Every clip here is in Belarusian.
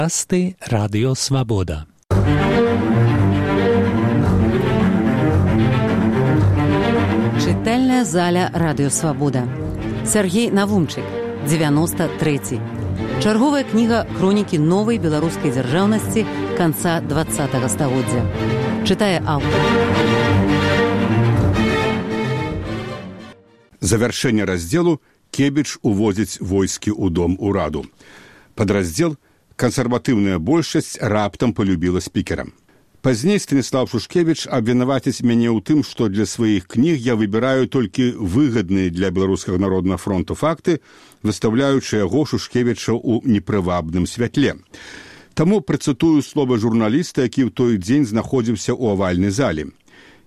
Подкасты Радио Свобода. Чытальная заля Радио Свобода. Сергей Навумчык, 93. Чарговая кніга хронікі новай беларускай дзяржаўнасці канца 20-го стагоддзя. Чытае аўтар. Завяршэнне раздзелу Кебіч уводзіць войскі ў дом ураду. Падраздзел «Кансерватыўная большасць» раптам полюбіла спікера. Пазней Станіслав Шушкевіч абвінаваціць мяне ў тым, што для сваіх кніг я выбіраю толькі выгадныя для беларускага народнага фронту факты, выстаўляючы яго Шушкевіча ў непрывабным святле. Таму працытую слова журналіста, які ў той дзень знаходзіўся ў авальнай зале.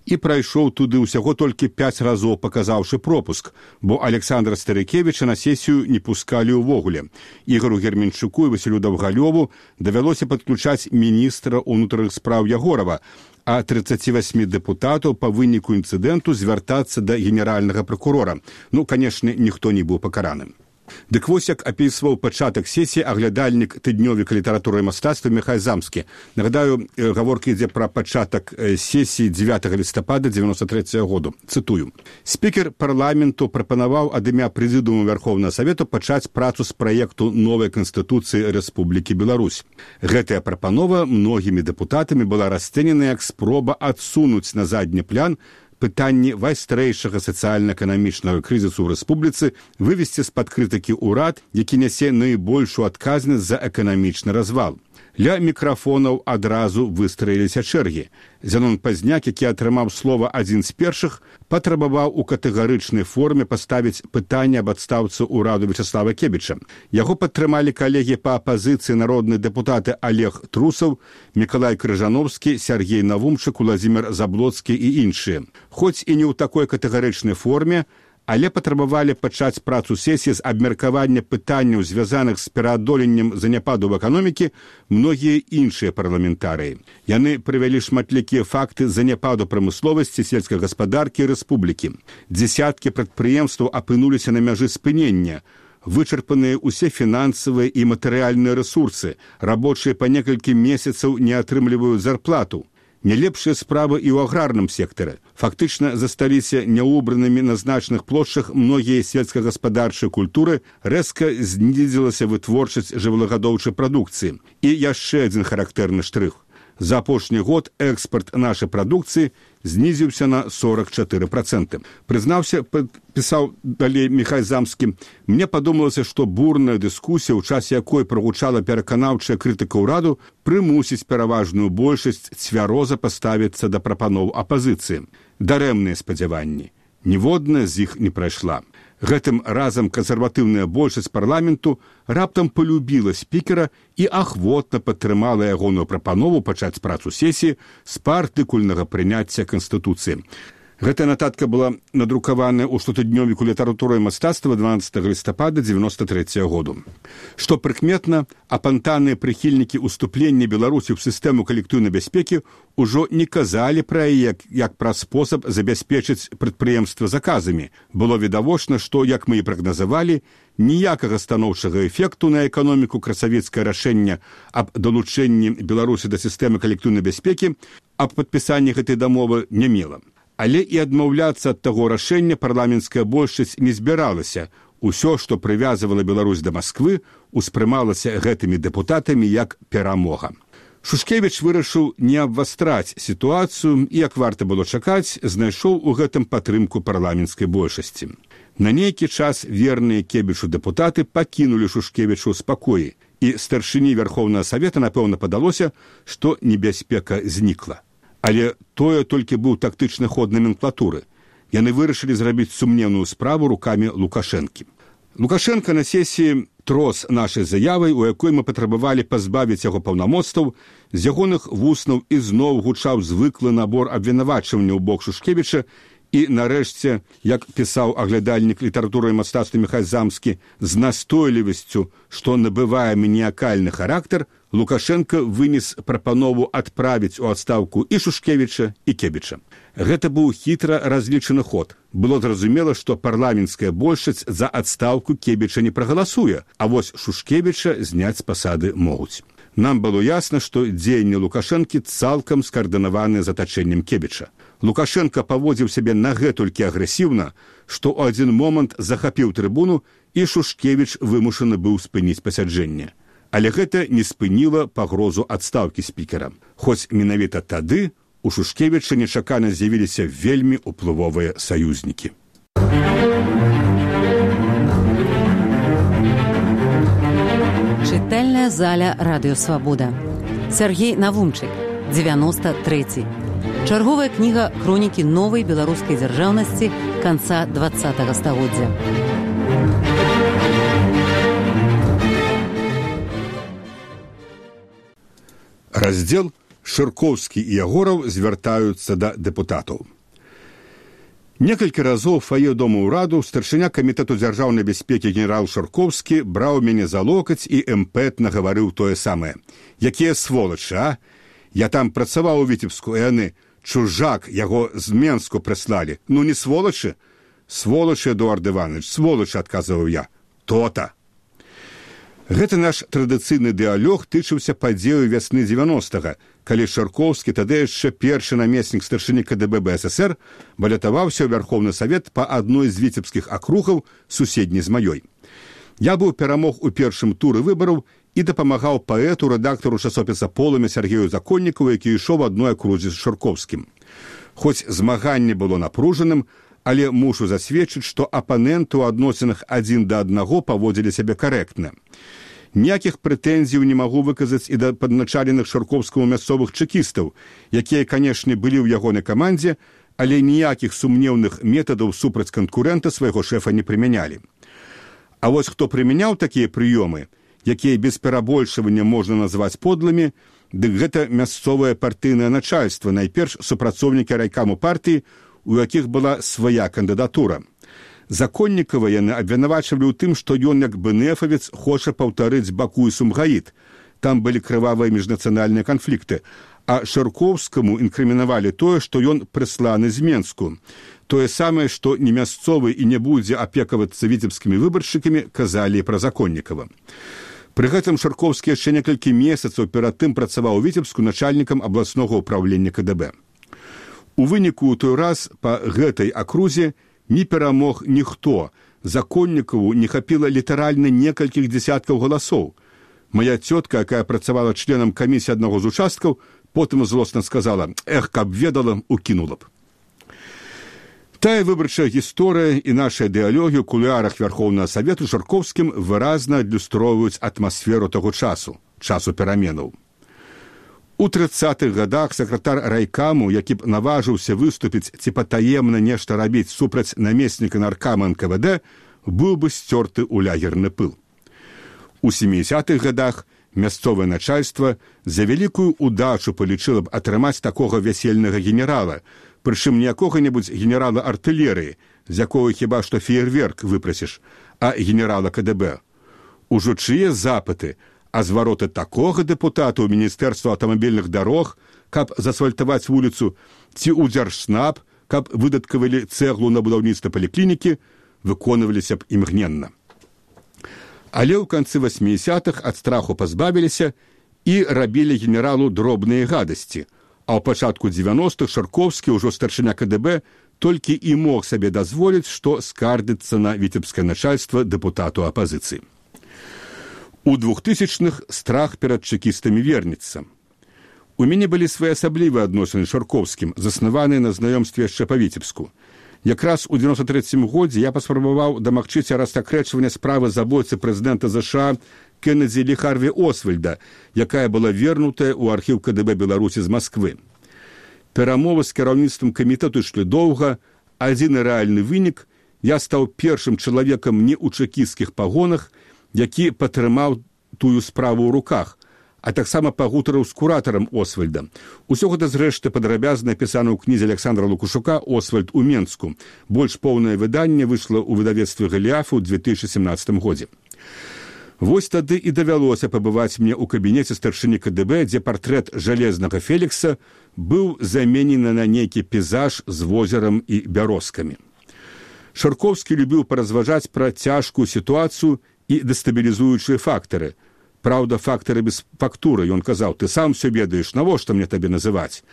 І прайшоў туды ўсяго толькі 5 разоў, паказаўшы пропуск, бо Александра Старыкевіча на сесію не пускалі ўвогуле. Ігору Герменчуку і Васілю Даўгалёву давялося падключаць міністра ўнутраных спраў Ягорова, а 38 дэпутатаў па выніку інцыдэнту звяртацца да генеральнага пракурора. Канешне, ніхто не быў пакараным. Дык вось як апісваў пачатак сесіі аглядальнік тыднёвіка літаратуры і мастацтва Міхай Замскі. Нагадаю, гаворка ідзе пра пачатак сесіі 9 лістапада 93 году. Цытую. Спікер парламенту прапанаваў ад імя прэзідыуму Вярхоўнага Савету пачаць працу з праекту новай Канстытуцыі Рэспублікі Беларусь. Гэтая прапанова многімі дэпутатамі была расцэнена як спроба адсунуць на задні план пытанні вайстрэйшага сацыяльна-эканамічнага крызісу ў рэспубліцы, вывесці з-пад крытыкі ўрад, які нясе найбольшую адказнасць за эканамічны развал. Ля мікрафонаў адразу выстраіліся чэргі. Зянон Пазняк, які атрымаў слова адзін з першых, патрабаваў у катэгарычнай форме паставіць пытанне аб адстаўцы ўраду Вячаслава Кебіча. Яго падтрымалі калегі па апазіцыі народныя дэпутаты Олег Трусаў, Мікалай Крыжановскі, Сергей Навумчык, Уладзімір Заблоцкі і іншыя. Хоць і не ў такой катэгарычнай форме, але патрабавалі пачаць працу сесіі з абмеркавання пытанняў, звязаных з пераадоленнем заняпаду в эканомікі, многія іншыя парламентарыі. Яны прывялі шматлікія факты заняпаду прамысловасці, сельскай гаспадаркі і рэспублікі. Дзесяткі прадпрыемстваў апынуліся на мяжы спынення. Вычарпаныя ўсе фінансавыя і матэрыяльныя рэсурсы. Рабочыя па некалькі месяцаў не атрымліваюць зарплату. Не лепшыя справы і ў аграрным сектары. Фактычна засталіся няўбранымі на значных плошчах многія сельскагаспадарчыя культуры, рэзка знізілася вытворчасць жывёлагадоўчай прадукцыі. І яшчэ адзін характэрны штрых. За апошні год экспарт нашай прадукцыі знізіўся на 44%. Прызнаўся, пісаў далей Міхай Замскі, мне падумалася, што бурная дыскусія, у часе якой прагучала пераканаўчая крытыка ўраду, прымусіць пераважную большасць цвяроза паставіцца да прапаноў апазіцыі. Дарэмныя спадзяванні. Ніводная з іх не прайшла. Гэтым разам кансерватыўная большасць парламенту раптам полюбіла спікера і ахвотна падтрымала ягоную прапанову пачаць працу сесіі з партыкульнага прыняцця Канстытуцыі. Гэтая нататка была надрукаваная ў штотыднёвіку літаратуры і мастацтва 12 лістапада 93 году. Што прыкметна, апантаныя прыхільнікі ўступлення Беларусі ў сістэму калектыўнай бяспекі ўжо не казалі пра яе як пра спосаб забяспечыць прадпрыемства заказамі. Было відавочна, што, як мы і прагназавалі, ніякага станоўчага эфекту на эканоміку красавецкае рашэнне аб далучэнні Беларусі да сістэмы калектыўнай бяспекі, аб падпісанні гэтай дамовы не мела. Але і адмаўляцца ад таго рашэння парламенцкая большасць не збіралася. Усё, што прывязвала Беларусь да Масквы, успрымалася гэтымі дэпутатамі як перамога. Шушкевіч вырашыў не абвастраць сітуацыю і, як варта было чакаць, знайшоў у гэтым падтрымку парламенцкай большасці. На нейкі час верныя Кебічу дэпутаты пакінулі Шушкевічу ў спакоі, і старшыні Вярхоўнага Савета, напэўна, падалося, што небяспека знікла. Але тое толькі быў тактычны ход номенклатуры. Яны вырашылі зрабіць сумнеўную справу рукамі Лукашэнкі. Лукашенко на сесіі трос нашай заявай, у якой мы патрабавалі пазбавіць яго паўнамоцтваў, з ягоных вуснаў ізноў гучаў звыклы набор абвінавачванняў у бок Шушкевіча, і, нарэшце, як пісаў аглядальнік літаратуры і мастацтва Міхай Замскі, з настойлівасцю, што набывае маніякальны характар, Лукашенко вынес прапанову адправіць у адстаўку і Шушкевіча, і Кебіча. Гэта быў хітра разлічаны ход. Было зразумела, што парламенцкая большасць за адстаўку Кебіча не прагаласуе, а вось Шушкевіча зняць з пасады могуць. Нам было ясно, што дзеянні Лукашэнкі цалкам скаардынаваны затачэннем Кебіча. Лукашенко паводзіў сябе нагэтулькі агрэсіўна, што ў адзін момант захапіў трыбуну, і Шушкевіч вымушаны быў спыніць пасяджэнне. Але гэта не спыніла пагрозу адстаўкі спікера. Хоць менавіта тады у Шушкевіча нечакана з'явіліся вельмі ўплывовыя саюзнікі. Чытальная заля Радыё Свабода. Сергей Навумчык, 93. Чарговая кніга хронікі новай беларускай дзяржаўнасці канца 20-го стагоддзя. Раздзел Шыркоўскі і Ягораў звяртаюцца да дэпутатаў. Некалькі разоў у фае дома ўраду старшыня камітэту дзяржаўнай бяспекі генерал Шыркоўскі браў мяне за локаць і імпэтна гаварыў тое самае. Якія сволачы, а? Я там працаваў у Віцебску, і яны, чужак, яго з Менску прыслалі. Ну не сволачы? Сволачы, Эдуард Іванович, сволачы, адказваў я. То-то. Гэта наш традыцыйны дыалог тычыўся падзею вясны 90-га, калі Шыркоўскі, тады яшчэ першы намеснік старшыні КДБ БССР, балятаваўся ў Вярхоўны Савет па адной з віцебскіх акругаў, суседняй з маёй. Я быў перамог у першым туры выбараў і дапамагаў паэту, рэдактару часопіса «Полымя» Сергею Законнікову, які ішоў адной акрузе з Шыркоўскім. Хоць змаганне было напружаным, але мушу засведчыць, што апаненты ў адносінах адзін да аднаго паводзілі сябе карэктна. Ніякіх прэтэнзіяў не магу выказаць і да падначаленых Шыркоўскаму мясцовых чэкістаў, якія, канешне, былі ў ягонай камандзе, але ніякіх сумнеўных метадаў супраць канкурэнта свайго шэфа не прымянялі. А вось хто прымяняў такія прыёмы, якія без перабольшвання можна назваць подлымі, дык гэта мясцовае партыйнае начальства, найперш супрацоўнікі райкаму партыі, у якіх была свая кандыдатура. Законнікава яны абвінавачвалі ў тым, што ён, як бэнефавец, хоча паўтарыць Баку і Сумгаіт. Там былі крывавыя міжнацыянальныя канфлікты. А Шыркоўскаму інкрымінавалі тое, што ён прысланы з Менску. Тое самае, што не мясцовы і не будзе апекавацца віцебскімі выбаршчыкамі, казалі пра Законнікава. Пры гэтым Шыркоўскі яшчэ некалькі месяцаў перад тым працаваў у Віцебску начальнікам абласнога ўпраўлення КДБ. У выніку ў той раз па гэтай акрузе не перамог ніхто. Законнікаву не хапіла літаральна некалькіх дзесяткаў галасоў. Моя цётка, якая працавала членам камісіі аднаго з участкаў, потым злосна сказала: «Эх, каб ведала, укінула б». Тая выбарчая гісторыя і нашыя дыалогі ў кулуарах Вярхоўнага Савету Шыркоўскім выразна адлюстроўваюць атмасферу таго часу пераменаў. У 30-х гадах сакратар райкаму, які б наважыўся выступіць ці патаемна нешта рабіць супраць намесніка наркама НКВД, быў бы сцёрты ў лягерны пыл. У 70-х гадах мясцовае начальства за вялікую удачу палічыла б атрымаць такога вясельнага генерала, прычым не якога-небудзь генерала артылерыі, з якога хіба што феерверк выпрасіш, а генерала КДБ. Ужо чые запыты, а звароты такога дэпутата ў Міністэрства аўтамабільных дарог, каб засфальтаваць вуліцу, ці ў Дзяржснаб, каб выдаткавалі цэглу на будаўніцтва паліклінікі, выконваліся б імгненна. Але ў канцы 80-х ад страху пазбавіліся і рабілі генералу дробныя гадасці, а ў пачатку 90-х Шыркоўскі, ўжо старшыня КДБ, толькі і мог сабе дазволіць, што скардзіцца на віцебскае начальства дэпутату апазіцыі. У 2000-х страх перад чэкістамі вернецца. У мяне былі своеасаблівыя адносіны з Шыркоўскім, заснаваныя на знаёмстве яшчэ па Віцебску. Якраз у 93-м годзе я паспрабаваў дамагчыся рассакрэчвання справы забойцы прэзідэнта ЗША Кеннеді Лі Харві Освальда, якая была вернутая ў архіў КДБ Беларусі з Масквы. Перамовы з кіраўніцтвам камітэту ішлі доўга, адзіны рэальны вынік – я стаў першым чалавекам не ў чэкісцкіх пагонах, які падтрымаў тую справу ў руках, а таксама пагутарыў з куратарам Освальда. Усё гэта, зрэшты, падрабязна напісана ў кнізе Александра Лукашука «Освальд у Менску». Больш поўнае выданне выйшла ў выдавецтве «Галіаф» у 2017 годзе. Вось тады і давялося пабываць мне ў кабінеце старшыні КДБ, дзе партрэт жалезнага Фелікса быў заменены на нейкі пейзаж з возерам і бярозкамі. Шыркоўскі любіў паразважаць пра цяжкую сітуацыю і дэстабілізуючыя фактары. Праўда, фактары без фактуры. Ён казаў: ты сам все ведаеш, навошта мне табе называць?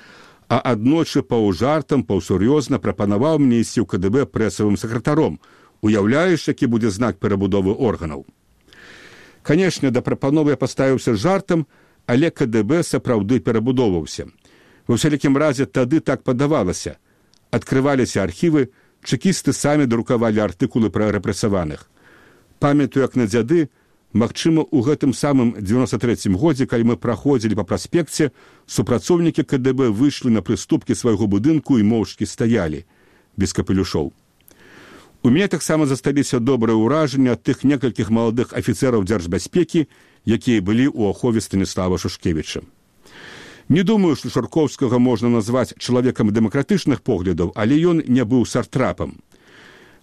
А аднойчы паўжартам, паўсур'ёзна прапанаваў мне ісці ў КДБ прэсавым сакратаром. Уяўляеш, які будзе знак перабудовы органаў? Канешне, да прапановы я паставіўся жартам, але КДБ сапраўды перабудоўваўся. Ва ўсялякім разе тады так падавалася. Адкрываліся архівы, чэкісты самі друкавалі артыкулы пра рэпрэсаваных. Памятаю, як на дзяды, магчыма, у гэтым самым 93-м годзе, калі мы праходзілі па праспекце, супрацоўнікі КДБ выйшлі на прыступкі свайго будынку і моўчкі стаялі, без капелюшоў. У мяне таксама засталіся добрыя ўражанні ад тых некалькіх маладых афіцэраў дзяржбяспекі, якія былі ў ахове Станіслава Шушкевіча. Не думаю, што Шаркоўскага можна назваць чалавекам дэмакратычных поглядаў, але ён не быў сартрапам.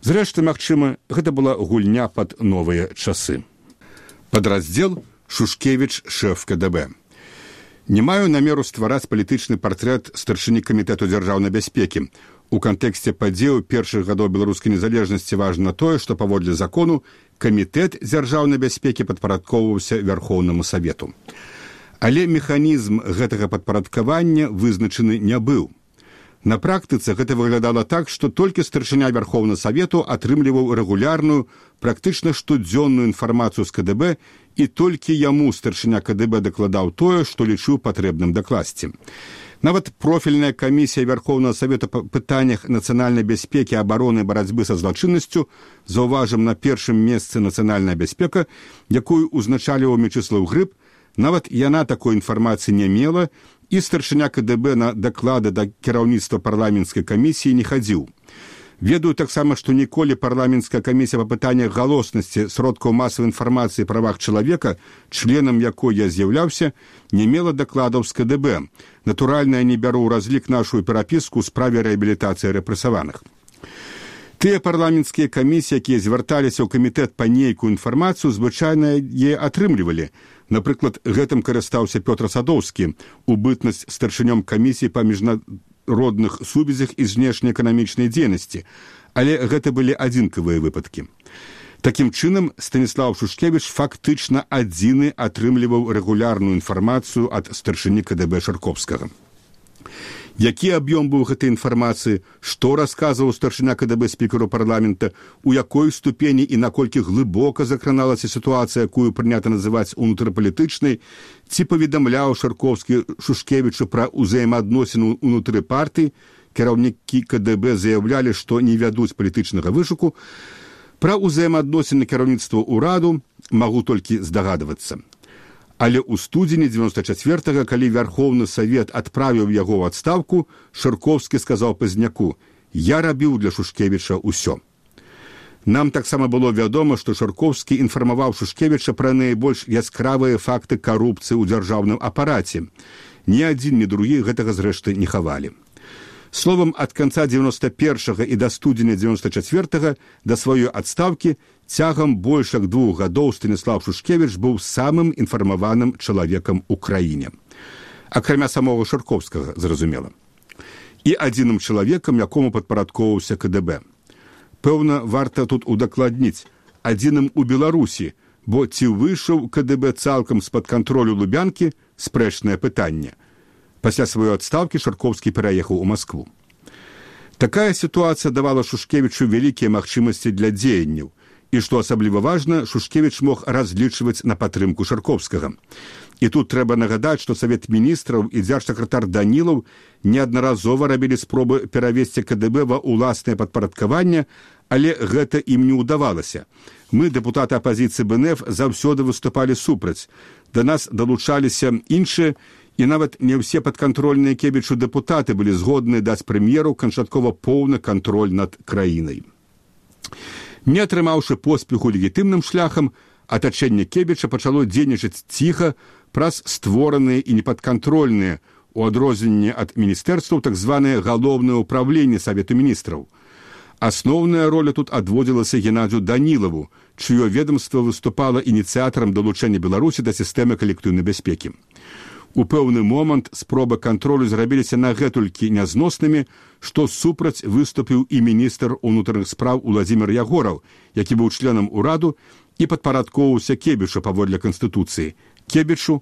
Зрэшты, магчыма, гэта была гульня пад новыя часы. Падраздзел «Шушкевіч, шэф КДБ». Не маю намеру ствараць палітычны партрэт старшыні камітэту дзяржаўнай бяспекі. У кантэксце падзеяў першых гадоў беларускай незалежнасці важна тое, што паводле закону камітэт дзяржаўнай бяспекі падпарадкоўваўся Вярхоўнаму Савету. Але механізм гэтага падпарадкавання вызначаны не быў. На практыцы гэта выглядала так, што толькі старшыня Вярхоўнага Савету атрымліваў рэгулярную, практычна штодзённую інфармацыю з КДБ, і толькі яму старшыня КДБ дакладаў тое, што лічыў патрэбным дакласці. Нават профільная камісія Вярхоўнага Савету па пытаннях нацыянальнай бяспекі, абароны і барацьбы са злачыннасцю, заўважым на першым месцы нацыянальная бяспека, якую узначаліваў Мечыслаў Грыб, нават яна такой інфармацыі не мела, і старшыня КДБ на даклады да кіраўніцтва парламенцкай камісіі не хадзіў. Ведаю таксама, што ніколі парламенцкая камісія па пытаннях галоснасці сродкаў масавай інфармацыі і правах чалавека, членам якой я з'яўляўся, не мела дакладаў з КДБ. Натуральна, я не бяру ў разлік нашу перапіску ў справе рэабілітацыі рэпрэсаваных. Тыя парламенцкія камісіі, якія звярталіся ў камітэт па нейкую інфармацыю, звычайна яе атрымлівалі. Напрыклад, гэтым карыстаўся Пётр Садоўскі у бытнасць старшынём камісіі па міжнародных сувязях і знешнеэканамічнай дзейнасці, але гэта былі адзінкавыя выпадкі. Такім чынам, Станіслав Шушкевіч фактычна адзіны атрымліваў рэгулярную інфармацыю ад старшыні КДБ Шаркоўскага. Які аб'ём быў гэтай інфармацыі, што расказваў старшыня КДБ спікеру парламента, у якой ступені і наколькі глыбока закраналася сітуацыя, якую прынята называць унутрыпалітычнай, ці паведамляў Шаркоўскі Шушкевічу пра ўзаемаадносіны ўнутры партыі, кіраўнікі КДБ заяўлялі, што не вядуць палітычнага вышуку, пра ўзаемаадносіны кіраўніцтва ўраду магу толькі здагадвацца. Але ў студзені 94-го, калі Вярхоўны Савет адправіў яго ў адстаўку, Шаркоўскі сказаў Пазняку: «Я рабіў для Шушкевіча ўсё». Нам таксама было вядома, што Шаркоўскі інфармаваў Шушкевіча пра найбольш яскравыя факты карупцыі ў дзяржаўным апараце. Ні адзін, ні другі гэтага зрэшты не хавалі. Словам, ад канца 91-го і да студзеня 94-го да сваёй адстаўкі цягам больш як 2 гадоў Станіслав Шушкевіч быў самым інфармаваным чалавекам у краіне. Акрамя самога Шаркоўскага, зразумела. І адзіным чалавекам, якому падпарадкоўваўся КДБ. Пэўна, варта тут удакладніць, адзіным у Беларусі, бо ці выйшаў КДБ цалкам з-пад кантролю Лубянкі – спрэчнае пытанне. Пасля сваёй адстаўкі Шаркоўскі пераехаў у Маскву. Такая сітуацыя давала Шушкевічу вялікія магчымасці для дзеянняў. І, што асабліва важна, Шушкевіч мог разлічваць на падтрымку Шаркоўскага. І тут трэба нагадаць, што Савет міністраў і дзяржсакратар Данілаў неаднаразова рабілі спробы перавесці КДБ ва ўласнае падпарадкаванне, але гэта ім не ўдавалася. Мы, дэпутаты апазіцыі БНФ, заўсёды выступалі супраць. Да нас далучаліся іншыя, і нават не ўсе падкантрольныя Кебічу дэпутаты былі згодныя даць прэм'еру канчаткова поўны кантроль над краінай. Не атрымаўшы поспеху легітымным шляхам, атачэнне Кебіча пачало дзейнічаць ціха праз створаныя і непадкантрольныя, у адрозненне ад міністэрстваў, так званае галоўнае ўправленне Савету міністраў. Асноўная роля тут адводзілася Геннадзю Данілаву, чыё ведамства выступала ініцыятарам далучэння Беларусі да сістэмы калектыўнай бяспекі. У пэўны момант спробы кантролю зрабіліся нагэтулькі нязноснымі, што супраць выступіў і міністр унутраных спраў Уладзімір Ягораў, які быў членам ураду і падпарадкоўваўся Кебічу паводле Канстытуцыі. Кебічу